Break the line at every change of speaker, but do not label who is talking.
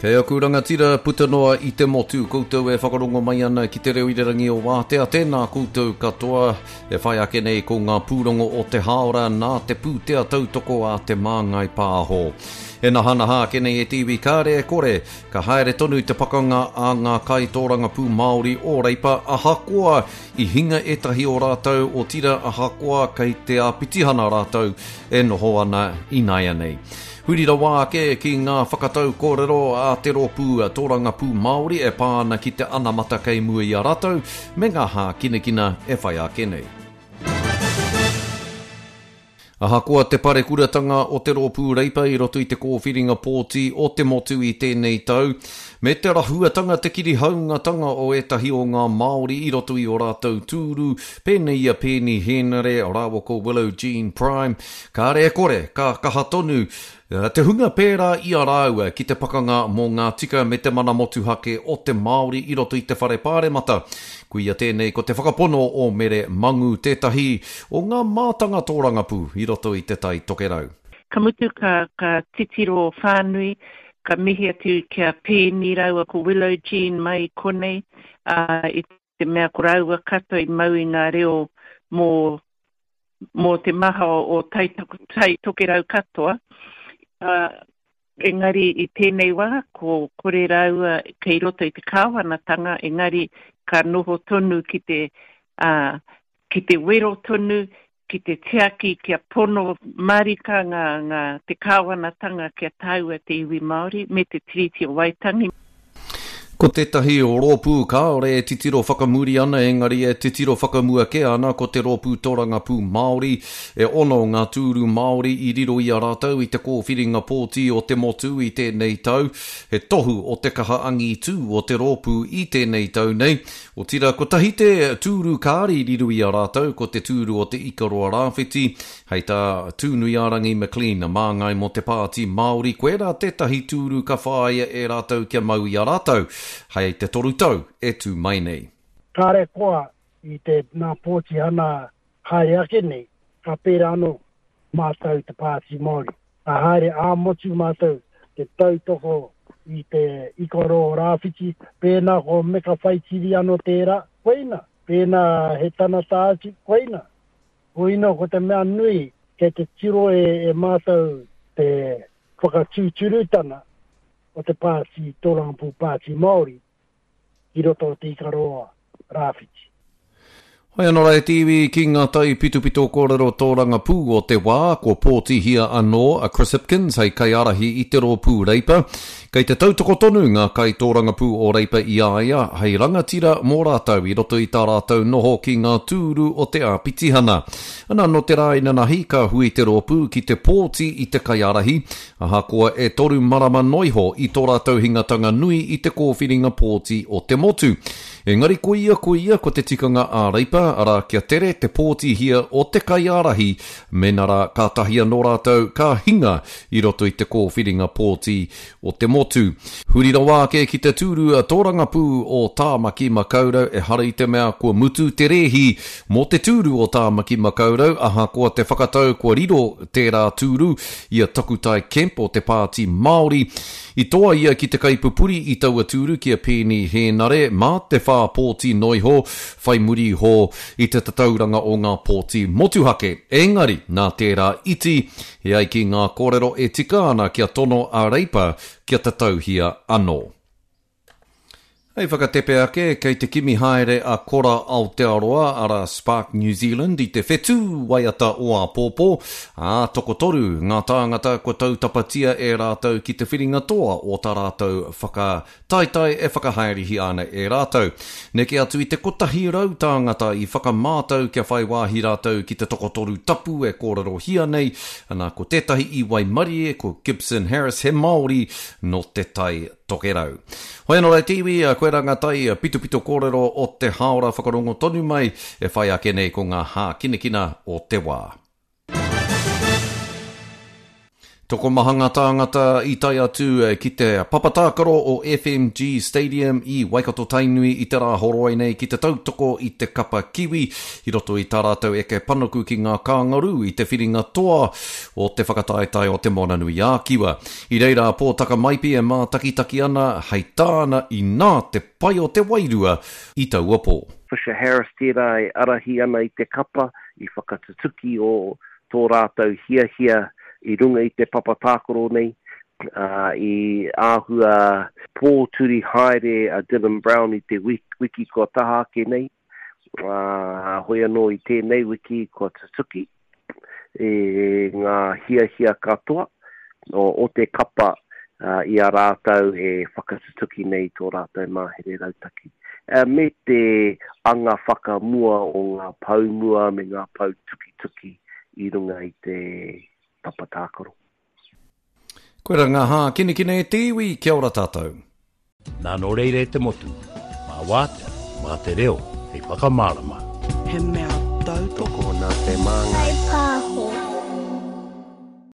Kei aku rangatira puta noa i te motu, koutou e whakarongo mai ana ki te reo irirangi o Wātea, tēnā koutou katoa. E whai ake nei ko ngā pūrongo o te hāora nā te pūtea tautoko a Te Māngai Pāho. E nahanaha ake nei e te iwi kāre e kore, ka haere tonu te pakanga a ngā kaitōrangapū Māori o Reipa ahakoa i hinga ētahi o rātou otira ahakoa kei te āpitihana rātou e noho ana ināianei. Huri rawa ake ki ngā whakatau kōrero a te rōpū tōrangapū Māori e pā ana ki te anamata kei mua i a rātou me ngā hākinakina e whai ake nei. Ahakoa te parekuratanga o te rōpū Reipa i roto i te kōwhiringa pōti o te motu i tēnei tau, me te rahuatanga te kirihaungatanga o ētahi o ngā Māori i roto i ō rātou tūru, pēnei i a Peeni Hēnare rāua ko Willow Jean Prime, Kāre e kore, ka kaha tonu te hunga pērā i a rāua ki te pakanga mō ngā tika me te mana motuhake o te Māori i roto i te Whare Pāremata. Koia tēnei ko te whakapono o Mere Mangu tētahi o ngā mātanga tōrangapū i roto i Te Tai Tokerau.
Ka mutu ka, ka titiro whānui, ka mihi atu ki a Peeni rāua ko Willow Jean mai i konei, ā, i te mea ko rāua katoa i mau i ngā reo mō mō te maha o Tai, tai Tokerau katoa, ā, engari i tēnei wā, ko kore rāua kei roto i te kāwanatanga, engari ka noho tonu ki te, ā, ki te wero tonu, ki te tiaki kia pono mārika ngā, ngā, te kāwanatanga kia tāua te iwi Māori me te Tiriti o Waitangi.
Ko tētahi rōpū kāore e titiro whakamuri ana engari e titiro whakamua kē ana ko te Rōpū Torangapū Māori. E ono ngā tūru Māori i riro i a rātou i te kōwhiringa pōti o te motu i tēnei tau. He tohu o te kaha angitū o te rōpū i tēnei tau nei. Otira, kotahi te tūru kāre i riro i a rātou ko te tūru o Te Ikaroa Rāwhiti. Hei tā Tūnuiārangi McLean, māngai mō te Pāti Māori, koirā tētahi tūru ka whāia e rātou kia mau i a rātou hei te toru tau e tū mai nei.
Kāre koa i te nā pōtihana haere ake nei, ka pērā anō mātou te Pāti Māori. Ka haere ā-motu mātou te tautoko i te Ikaroa Rāwhiti, pēnā ko Meka Whaitiri anō tērā, koina, pēnā he tanata atu, koina. Koina ko te mea nui kei te tiro e, e mātou te whakatūturutana o te pāti Tōrangapū Pāti Māori ki roto o Te Ikaroa Rāwhiti.
Hoi anō rā e te iwi ki ngā taipitopito kōrero tōrangapū o te wā, kua pōtihia anō a Chris Hipkins hei kaiārahi i te Rōpū Reipa. Kei te tautoko tonu ngā kaitōrangapū o Reipa i a ia hei rangatira mō rātou i roto i tā rātou noho ki ngā tūru o te āpitihana. Ana nō te rā inanahi ka hui te rōpū ki te pōti i te kaiārahi, Ahakoa e toru marama noiho i tō rātou hingatanga nui i te kōwhiringa pōti o te motu. Engari koia koia ko te tikanga ā-Reipa, arā kia tere te pōtihia o te kaiārahi mēnā rā kātahi anō rātou ka hinga i roto i te kōwhiringa pōti o te motu. Huri rawa ake ki te tūru tōrangapū o Tāmaki Makaurau ehara i te mea kua mutu te rēhi mō te tūru o Tāmaki Makaurau ahakoa te whakatau kua riro tērā tūru i a Takutai Kemp o te Pāti Māori. I toa ia ki te kaipupuri i taua tūru ki a Peeni Hēnare mā te whā pōti noiho whai muri iho i te tatauranga o ngā pōti motuhake. Engari, nā tērā iti, e ai ki ngā kōrero e tika ana kia tono a Reipa kia tatauhia anō. Hei whakatepe ake, kei te kimi haere a Kora Aotearoa, arā Spark New Zealand, i te whetū waiata o āpōpō, ā, tokotoru ngā tāngata kua tautapatia e rātou ki te whiringa toa o tā rātou whakataetae e whakahaerehia ana e rātou. Neke atu i te 100 tāngata i whakamātau kia whai wāhi rātou ki te tokotoru tapu e kōrerohia nei, ana, ko tētahi i waimarie, ko Gibson Harris, he Māori nō Te Tai Tokerau. Hoi anō rā e te iwi, koirā ngā tai pitopito kōrero o te hāora whakarongo tonu mai e whai ake nei ko ngā hākinakina o te wā. Tokomaha ngā tāngata i tae atu ki te papa tākaro o FMG Stadium i Waikato-Tainui i te Rāhoroi nei ki te tautoko i te kapa Kiwi i roto i tā rātou eke panuku ki ngā kāngarū i te whiringa toa o te whakataetae o Te Moananui-ā-Kiwa. I reira a Pōtaka Maipi e mātakitaki ana, hei tāna inā te pai o te wairua i taua pō.
Fisher Harris tērā e arahi ana i te kapa i whakatutuki o tō rātou hiahia i runga i te papa tākaro nei, ā, i āhua pōturi haere a Dylan Brown i te wiki kua taha ake nei, ā, hoi anō i tēnei wiki kua tutuki i ngā hiahia katoa o te kapa i a rātou e whakatutuki nei i tō rātou mahere rautaki, me te anga whakamua o ngā pou mua me ngā pou tukituki i runga i te papa tākaro.
Koira ngā hākinakina e te iwi, kia ora tātou.
Nā nō reira e te motu, mā wātea, mā te reo hei whakamārama.
He mea tautoko.
Tokona te māngai.
Kai pā.